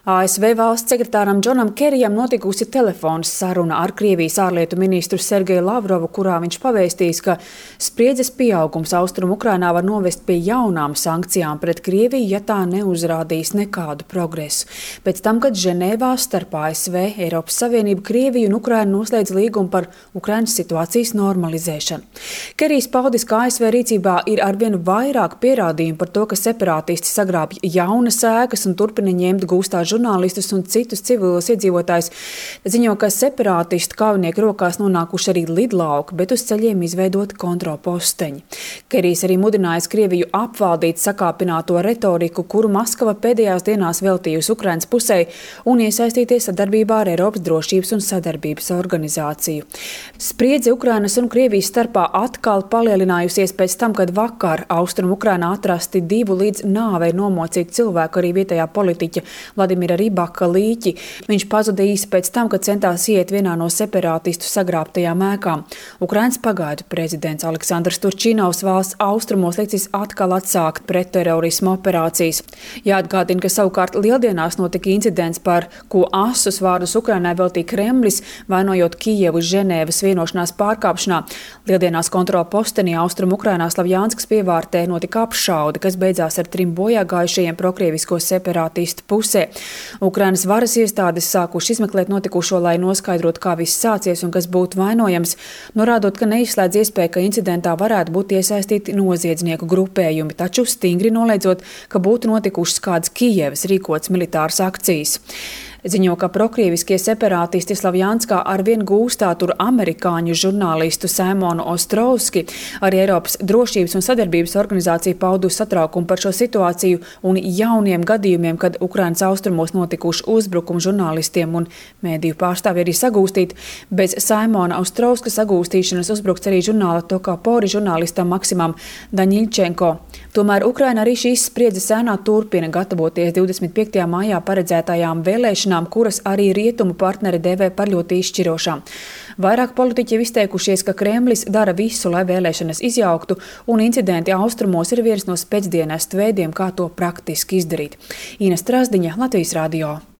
ASV valsts sekretāram Džonam Kerijam notikusi telefona saruna ar Krievijas ārlietu ministru Sergeju Lavrovu, kurā viņš pavēstījis, ka spriedzes pieaugums Austrumu Ukrainā var novest pie jaunām sankcijām pret Krieviju, ja tā neuzrādīs nekādu progresu. Pēc tam, kad Ženēvā starp ASV, Eiropas Savienību, Krieviju un Ukrainu noslēdz līgumu par Ukrainas situācijas normalizēšanu. Kerijs paudis, ka ASV rīcībā ir arvien vairāk pierādījumu par to, ka separātisti sagrābj jaunas ēkas un turpina ņemt gūstā žurnālistus un citus civilos iedzīvotājus. Ziņo, ka separātistu kaujinieku rokās nonākuši arī lidlauki, bet uz ceļiem izveidoti kontrolposteņi. Kerijs arī mudinājis Krieviju apvaldīt sakāpināto retoriku, kuru Maskava pēdējās dienās veltījusi Ukrainas pusē un iesaistīties sadarbībā ar Eiropas drošības un sadarbības organizāciju. Spriedze Ukrainas un Krievijas starpā atkal palielinājusies pēc tam, kad vakar Austrumu Ukrainā atrasti 2 līdz nāvei nomocīti cilvēku, arī vietējā politiķa Vladimira Ribaka līķi. Viņš pazuda īsi pēc tam, kad centās iet vienā no separātistu sagrābtajām ēkām. Ukrainas pagaidu prezidents Aleksandrs Turčinovs valsts austrumos licis atkal atsākt pretterorismu operācijas. Jāatgādina, ka savukārt Lieldienās notika incidents, par ko asus vārdus Ukrainai veltīja Kremlis, vainojot Kijevu Ženēvas vienošanās pārkāpšanā. Lieldienās kontrola postenī Austrumu Ukrainā Slavjanskas pievārtē notika apšaude, kas beidzās ar 3 bojāgājušajiem prokrievisko separātistu pusē. Ukrainas varas iestādes sākuši izmeklēt notikušo, lai noskaidrotu, kā viss sācies un kas būtu vainojams, norādot, ka neizslēdz iespēju, ka incidentā varētu būt iesaistīti noziedznieku grupējumi, taču stingri noliedzot, ka būtu notikušas kādas Kijevas rīkotas militāras akcijas. Ziņo, ka prokrieviskie separātisti Slavjanskā arvien gūstā tur amerikāņu žurnālistu Simonu Ostrovski. Arī Eiropas drošības un sadarbības organizācija paudusi satraukumu par šo situāciju un jauniem gadījumiem, kad Ukrainas austrumos notikuši uzbrukumi žurnālistiem un mēdīju pārstāvji arī sagūstīti. Bez Simona Ostrovska sagūstīšanas uzbrukts arī žurnāla Tokapori žurnālistam Maksimam Daņiļčenko. Tomēr Ukraina arī šīs spriedzes ēnā turpina gatavoties 25. maijā paredzētajām vēlēšanām, kuras arī rietumu partneri dēvē par ļoti izšķirošām. Vairāk politiķi ir izteikušies, ka Kremlis dara visu, lai vēlēšanas izjauktu, un incidenti austrumos ir viens no spēcdienestu veidiem, kā to praktiski izdarīt. Ina Strasdiņa, Latvijas radio.